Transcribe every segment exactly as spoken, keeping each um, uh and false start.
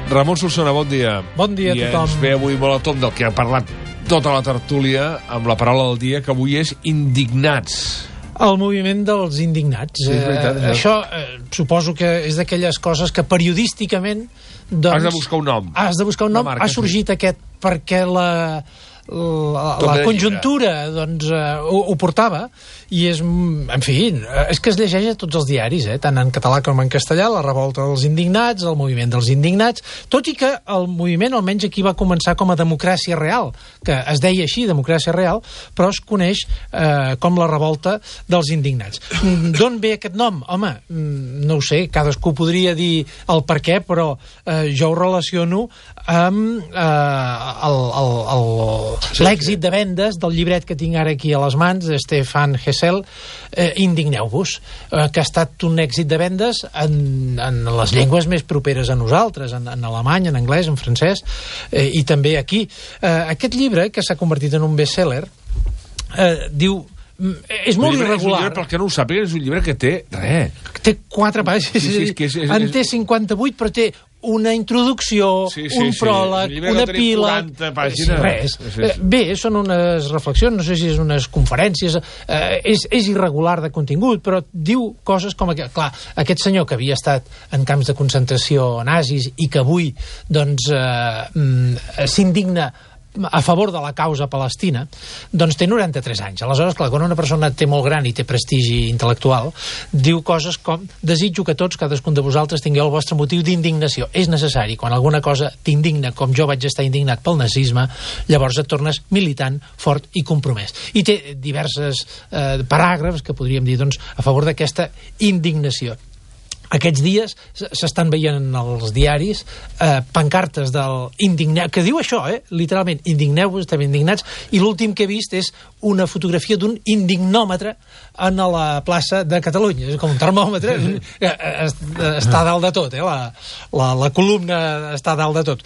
Ramon Solsona, bon dia. Bon dia a tothom. I ens ve avui molt a tom del que ha parlat tota la tertúlia amb la paraula del dia, que avui és indignats. El moviment dels indignats. Sí, és veritat, eh, això eh, suposo que és d'aquelles coses que periodísticament doncs, has de buscar un nom. Has de buscar un nom. Marca, ha sorgit sí. aquest perquè la, la, la conjuntura doncs, eh, ho, ho portava i és, en fi, és que es llegeix a tots els diaris, eh, tant en català com en castellà, la revolta dels indignats, el moviment dels indignats, tot i que el moviment almenys aquí va començar com a democràcia real, que es deia així, democràcia real, però es coneix eh, com la revolta dels indignats. D'on ve aquest nom? Home, no ho sé, cadascú podria dir el per què, però eh, jo ho relaciono amb eh, l'èxit de vendes del llibret que tinc ara aquí a les mans, de Stefan Hessel, eh, Indigneu-vos, eh, que ha estat un èxit de vendes en, en les llengües més properes a nosaltres, en, en alemany, en anglès, en francès, eh, i també aquí. Eh, aquest llibre, que s'ha convertit en un best-seller, eh, diu és molt irregular. És un llibre, pel que no ho sàpiga, és un llibre que té res. Té quatre pàgines. Sí, sí, és que és, és, en té cinquanta-vuit, però té una introducció, sí, sí, un sí, pròleg, sí. una epíleg... Sí, res. Sí, sí. Bé, són unes reflexions, no sé si és unes conferències, eh, és, és irregular de contingut, però diu coses com... Aquest, clar, aquest senyor que havia estat en camps de concentració nazis i que avui doncs eh, s'indigna a favor de la causa palestina, doncs té noranta-tres anys. Aleshores, clar, quan una persona té molt gran i té prestigi intel·lectual, diu coses com: desitjo que tots, cadascun de vosaltres, tingueu el vostre motiu d'indignació. És necessari, quan alguna cosa t'indigna, com jo vaig estar indignat pel nazisme, llavors et tornes militant, fort i compromès. I té diverses eh, paràgrafs que podríem dir, doncs, a favor d'aquesta indignació. Aquests dies s'estan veient en els diaris eh, pancartes del indigneu, que diu això, eh, literalment, indigneu-vos, estem indignats, i l'últim que he vist és una fotografia d'un indignòmetre en la plaça de Catalunya. És com un termòmetre, està dalt de tot, eh, la, la, la columna està dalt de tot.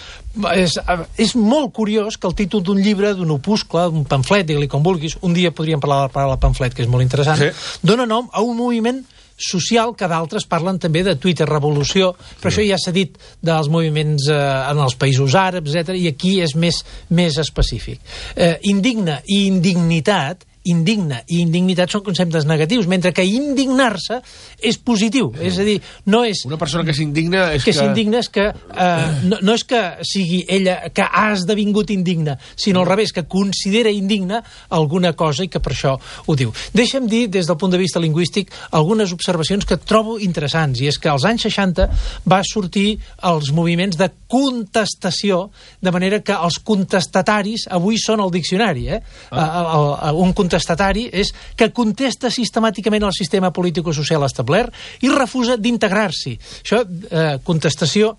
És, és molt curiós que el títol d'un llibre, d'un opuscle, d'un pamflet, digue-li com vulguis, un dia podríem parlar de la paraula pamflet, que és molt interessant, sí. Dona nom a un moviment social, que d'altres parlen també de Twitter revolució, però sí. Això ja s'ha dit dels moviments eh, en els països àrabs, etcètera, i aquí és més, més específic. Eh, indigna i indignitat indigna i indignitat són conceptes negatius, mentre que indignar-se és positiu, és a dir, no és... Una persona que s'indigna és que... Que s'indigna és que... Eh, no, no és que sigui ella que ha esdevingut indigna, sinó al revés, que considera indigna alguna cosa i que per això ho diu. Deixa'm dir, des del punt de vista lingüístic, algunes observacions que trobo interessants, i és que als anys seixanta va sortir els moviments de contestació, de manera que els contestataris avui són el diccionari, eh? Ah. El, el, un contestatari contestatari és que contesta sistemàticament al sistema político-social establert i refusa d'integrar-s'hi. Això, eh, contestació,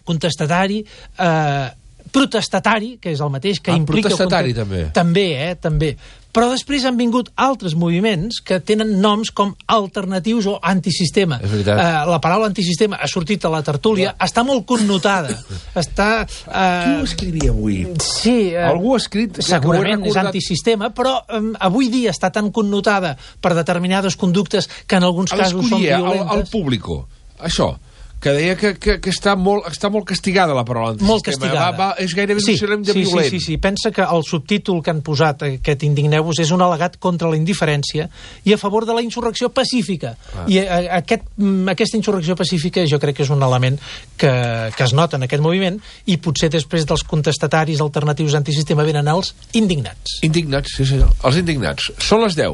contestatari, eh, protestatari, que és el mateix, que ah, implica... Protestatari, també. També, eh, també. Però després han vingut altres moviments que tenen noms com alternatius o antisistema. És veritat. Eh, la paraula antisistema ha sortit a la tertúlia, ja. Està molt connotada. Està... Eh, Qui ho escrivia avui? Sí. Eh, Algú ha escrit... Segurament és antisistema, però eh, avui dia està tan connotada per determinades conductes que en alguns casos són violentes. Al, al público, això... que deia que, que, que està, molt, està molt castigada la paraula antisistema. Molt castigada. Va, va, és gairebé sí, un sinònim de sí, violent. Sí, sí, sí. Pensa que el subtítol que han posat, aquest Indigneu-vos, és un al·legat contra la indiferència i a favor de la insurrecció pacífica. Ah. I a, aquest, aquesta insurrecció pacífica jo crec que és un element que, que es nota en aquest moviment, i potser després dels contestataris alternatius antisistema venen els indignats. Indignats, sí senyor. Els indignats. Són les deu.